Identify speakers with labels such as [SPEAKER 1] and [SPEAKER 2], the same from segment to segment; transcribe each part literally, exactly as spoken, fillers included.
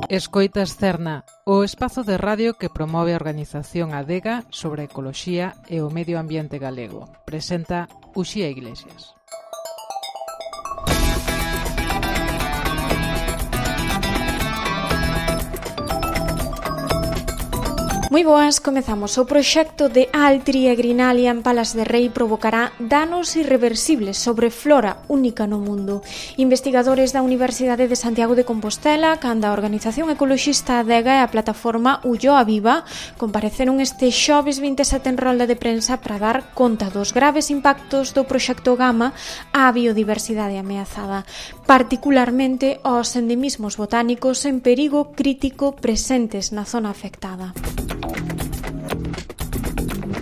[SPEAKER 1] Escoitas Cerna, o espazo de radio que promove a organización Adega sobre a ecoloxía e o medio ambiente galego. Presenta Uxía Iglesias.
[SPEAKER 2] Moi boas, comezamos. O proxecto de Altri e Grinalia en Palas de Rei provocará danos irreversibles sobre flora única no mundo. Investigadores da Universidade de Santiago de Compostela, canda a organización ecoloxista Adega e a plataforma Ulloa Viva, compareceron este xoves vinte e sete en rolda de prensa para dar conta dos graves impactos do proxecto Gama á biodiversidade ameazada, particularmente aos endemismos botánicos en perigo crítico presentes na zona afectada.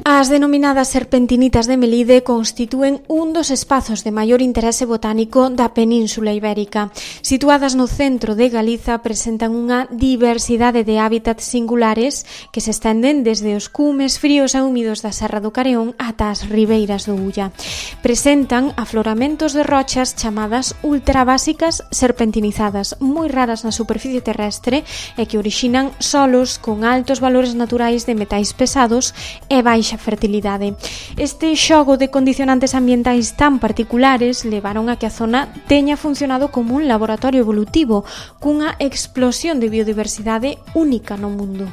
[SPEAKER 2] As denominadas serpentinitas de Melide constitúen un dos espazos de maior interese botánico da Península Ibérica. Situadas no centro de Galiza, presentan unha diversidade de hábitats singulares que se estenden desde os cumes fríos e húmidos da Serra do Careón ata as ribeiras do Ulla. Presentan afloramentos de rochas chamadas ultrabásicas serpentinizadas, moi raras na superficie terrestre e que orixinan solos con altos valores naturais de metais pesados e baixa fertilidade. Este xogo de condicionantes ambientais tan particulares levaron a que a zona teña funcionado como un laboratorio evolutivo cunha explosión de biodiversidade única no mundo.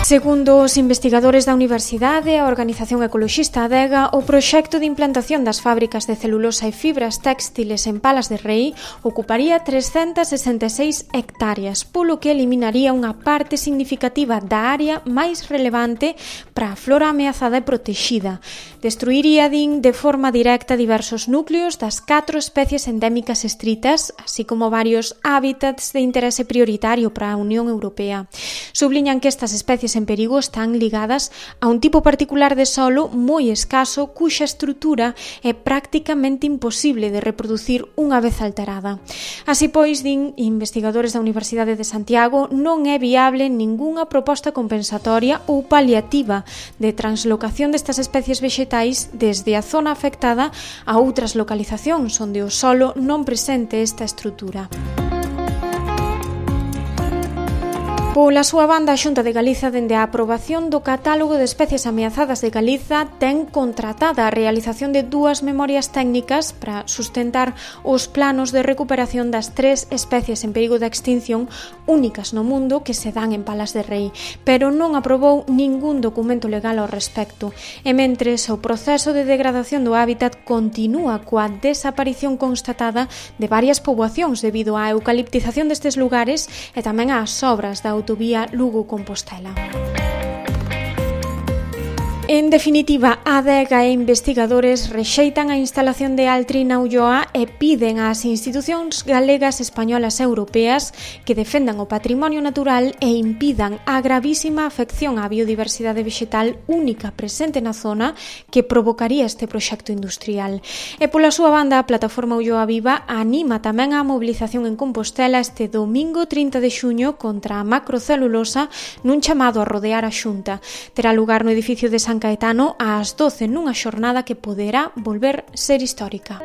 [SPEAKER 2] Segundo os investigadores da Universidade e a organización ecoloxista Adega, o proxecto de implantación das fábricas de celulosa e fibras téxtiles en Palas de Rei ocuparía trescentas sesenta e seis hectáreas, polo que eliminaría unha parte significativa da área máis relevante para a flora ameazada e protexida. Destruiría, din, de forma directa diversos núcleos das catro especies endémicas estritas, así como varios hábitats de interese prioritario para a Unión Europea. Subliñan que estas especies en perigo están ligadas a un tipo particular de solo moi escaso cuxa estrutura é prácticamente imposible de reproducir unha vez alterada. Así pois, din investigadores da Universidade de Santiago, non é viable ningunha proposta compensatoria ou paliativa de translocación destas especies vexetais desde a zona afectada a outras localizacións onde o solo non presente esta estrutura. Pola súa banda, a Xunta de Galiza, dende a aprobación do catálogo de especies ameazadas de Galiza, ten contratada a realización de dúas memorias técnicas para sustentar os planos de recuperación das tres especies en perigo de extinción únicas no mundo que se dan en Palas de Rei, pero non aprobou ningún documento legal ao respecto. E mentres, o proceso de degradación do hábitat continúa coa desaparición constatada de varias poboacións debido á eucaliptización destes lugares e tamén ás obras da autovía Lugo-Compostela. En definitiva, Adega e investigadores rexeitan a instalación de Altri na Ulloa e piden ás institucións galegas, españolas e europeas que defendan o patrimonio natural e impidan a gravísima afección á biodiversidade vexetal única presente na zona que provocaría este proxecto industrial. E pola súa banda, a plataforma Ulloa Viva anima tamén a mobilización en Compostela este domingo trinta de xuño contra a macrocelulosa nun chamado a rodear a Xunta. Terá lugar no edificio de San Caetano ás doce nunha xornada que poderá volver ser histórica.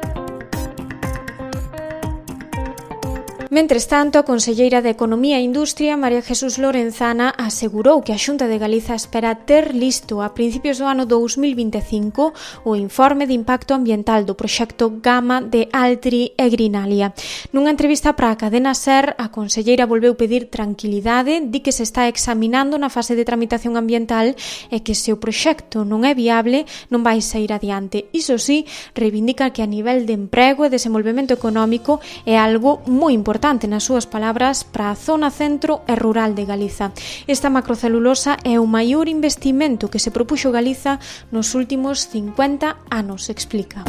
[SPEAKER 2] Mentres tanto, a conselleira de Economía e Industria, María Jesús Lorenzana, asegurou que a Xunta de Galiza espera ter listo a principios do ano dous mil vinte e cinco o informe de impacto ambiental do proxecto Gama de Altri e Grinalia. Nunha entrevista para a cadena SER, a conselleira volveu pedir tranquilidade, di que se está examinando na fase de tramitación ambiental e que se o proxecto non é viable non vai sair adiante. Iso sí, reivindica que a nivel de emprego e desenvolvemento económico é algo moi importante nas súas palabras para a zona centro e rural de Galiza. Esta macrocelulosa é o maior investimento que se propuxo Galiza nos últimos cincuenta anos, explica.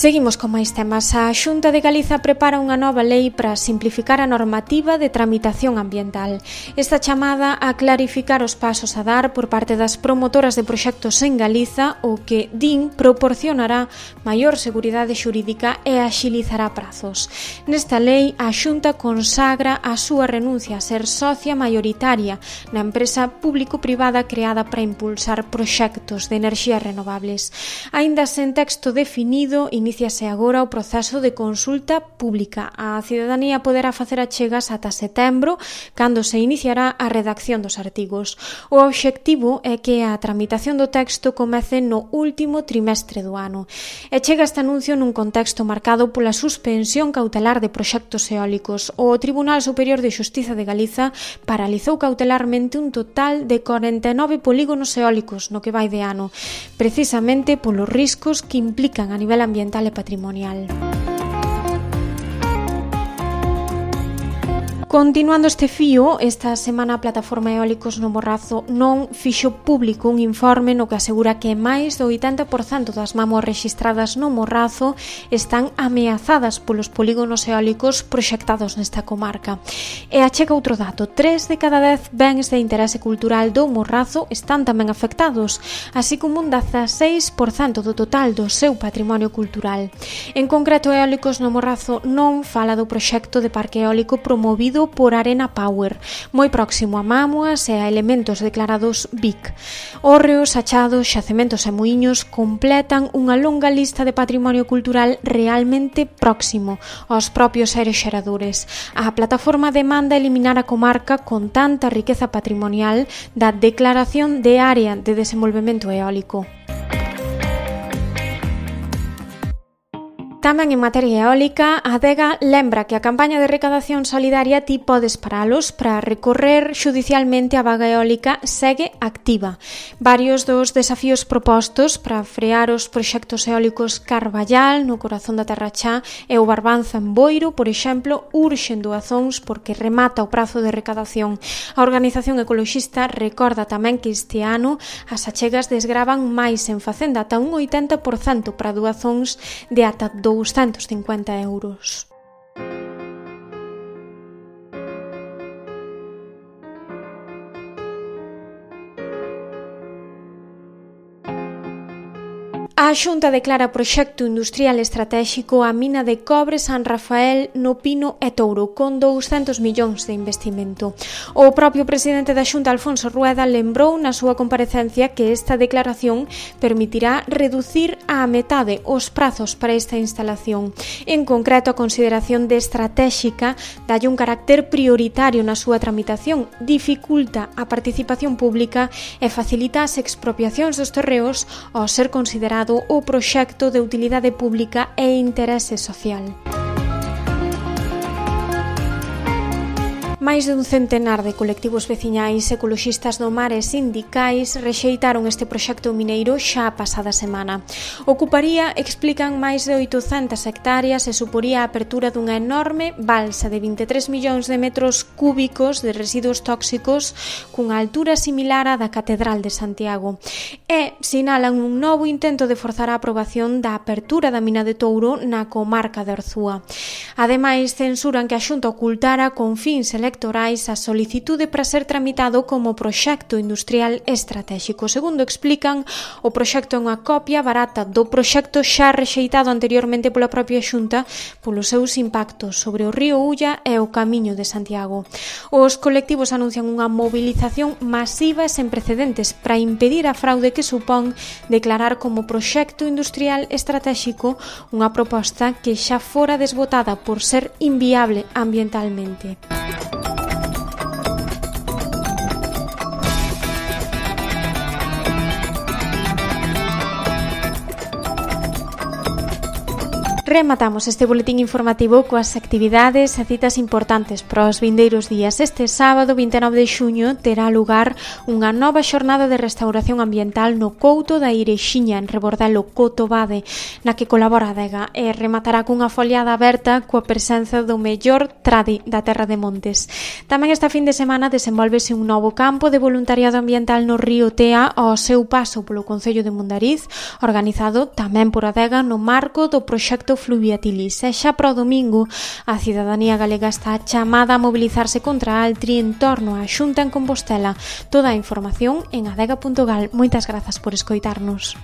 [SPEAKER 2] Seguimos con máis temas. A Xunta de Galiza prepara unha nova lei para simplificar a normativa de tramitación ambiental. Está chamada a clarificar os pasos a dar por parte das promotoras de proxectos en Galiza, o que, din, proporcionará maior seguridade xurídica e axilizará prazos. Nesta lei, a Xunta consagra a súa renuncia a ser socia maioritaria na empresa público-privada creada para impulsar proxectos de enerxías renovables. Aínda sen texto definido, iníciase agora o proceso de consulta pública. A cidadanía poderá facer achegas ata setembro, cando se iniciará a redacción dos artigos. O obxectivo é que a tramitación do texto comece no último trimestre do ano. E chega este anuncio nun contexto marcado pola suspensión cautelar de proxectos eólicos. O Tribunal Superior de Xustiza de Galiza paralizou cautelarmente un total de corenta e nove polígonos eólicos no que vai de ano, precisamente polos riscos que implican a nivel ambiental e patrimonial. Continuando este fío, esta semana a Plataforma Eólicos no Morrazo non fixo público un informe no que asegura que máis do oitenta por cento das mamos rexistradas no Morrazo están ameazadas polos polígonos eólicos proxectados nesta comarca. E achega outro dato: tres de cada dez bens de interese cultural do Morrazo están tamén afectados, así como un dezaseis por cento do total do seu patrimonio cultural. En concreto, Eólicos no Morrazo non fala do proxecto de parque eólico promovido por Arena Power, moi próximo a mámoas e a elementos declarados B I C. Hórreos, achados, xacementos e muíños completan unha longa lista de patrimonio cultural realmente próximo aos propios aeroxeradores. A plataforma demanda eliminar a comarca con tanta riqueza patrimonial da declaración de área de desenvolvemento eólico. Tamén en materia eólica, a Adega lembra que a campaña de recadación solidaria Ti podes paralos para recorrer xudicialmente a vaga eólica segue activa. Varios dos desafíos propostos para frear os proxectos eólicos Carballal, no corazón da Terra Chá, e o Barbanza en Boiro, por exemplo, urxen doazóns porque remata o prazo de recadación. A organización ecoloxista recorda tamén que este ano as achegas desgravan máis en Facenda, ata un oitenta por cento para doazóns de ata douscentos cincuenta euros. A Xunta declara proxecto industrial estratéxico a mina de cobre San Rafael no Pino e Touro, con douscentos millóns de investimento. O propio presidente da Xunta, Alfonso Rueda, lembrou na súa comparecencia que esta declaración permitirá reducir á metade os prazos para esta instalación. En concreto, a consideración de estratéxica dalle un carácter prioritario na súa tramitación, dificulta a participación pública e facilita as expropiacións dos terreos ao ser considerado o proxecto de utilidade pública e interese social. Máis de un centenar de colectivos veciñais, ecoloxistas do mar e sindicais rexeitaron este proxecto mineiro xa a pasada semana. Ocuparía, explican, máis de oitocentas hectáreas e suporía a apertura dunha enorme balsa de vinte e tres millóns de metros cúbicos de residuos tóxicos cunha altura similar á da Catedral de Santiago. E sinalan un novo intento de forzar a aprobación da apertura da mina de Touro na comarca de Orzúa. Ademais, censuran que a Xunta ocultara con fins electorais a solicitude para ser tramitado como proxecto industrial estratéxico. Segundo explican, o proxecto é unha copia barata do proxecto xa rexeitado anteriormente pola propia Xunta polos seus impactos sobre o río Ulla e o Camiño de Santiago. Os colectivos anuncian unha movilización masiva e sen precedentes para impedir a fraude que supón declarar como proxecto industrial estratéxico unha proposta que xa fora desbotada por ser inviable ambientalmente. Rematamos este boletín informativo coas actividades e citas importantes para os vindeiros días. Este sábado vinte e nove de xuño terá lugar unha nova xornada de restauración ambiental no Couto da Irexiña, en Rebordelo, Cotobade, na que colabora a Adega, e rematará cunha foliada aberta coa presenza do mellor tradi da Terra de Montes. Tamén esta fin de semana desenvolvese un novo campo de voluntariado ambiental no río Tea ao seu paso polo Concello de Mondariz, organizado tamén por Adega no marco do proxecto Fluviatilis. E xa para o domingo, a cidadanía galega está chamada a mobilizarse contra a Altri en torno á Xunta en Compostela. Toda a información en adega punto gal. Moitas grazas por escoitarnos.